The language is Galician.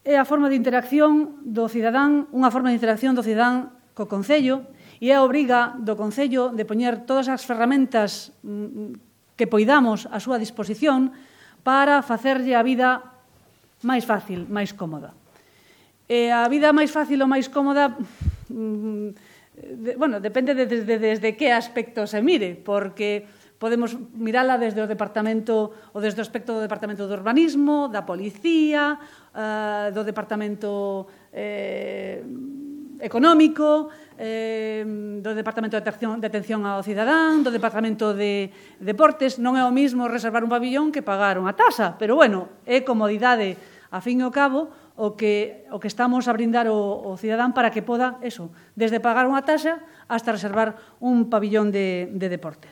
é a forma de interacción do cidadán, unha forma de interacción do cidadán co Concello, e é a obriga do Concello de poñer todas as ferramentas que poidamos á súa disposición para facerlle a vida máis fácil, máis cómoda. E a vida máis fácil ou máis cómoda, depende desde que aspecto se mire, porque podemos mirala desde o departamento ou desde o aspecto do Departamento de Urbanismo, da Policía, do Departamento Económico, do Departamento de Atención ao Cidadán, do Departamento de Deportes. Non é o mismo reservar un pabillón que pagar unha tasa, pero, é comodidade, a fin e ao cabo, o que estamos a brindar ao cidadán para que poda, desde pagar unha tasa hasta reservar un pabillón de deportes.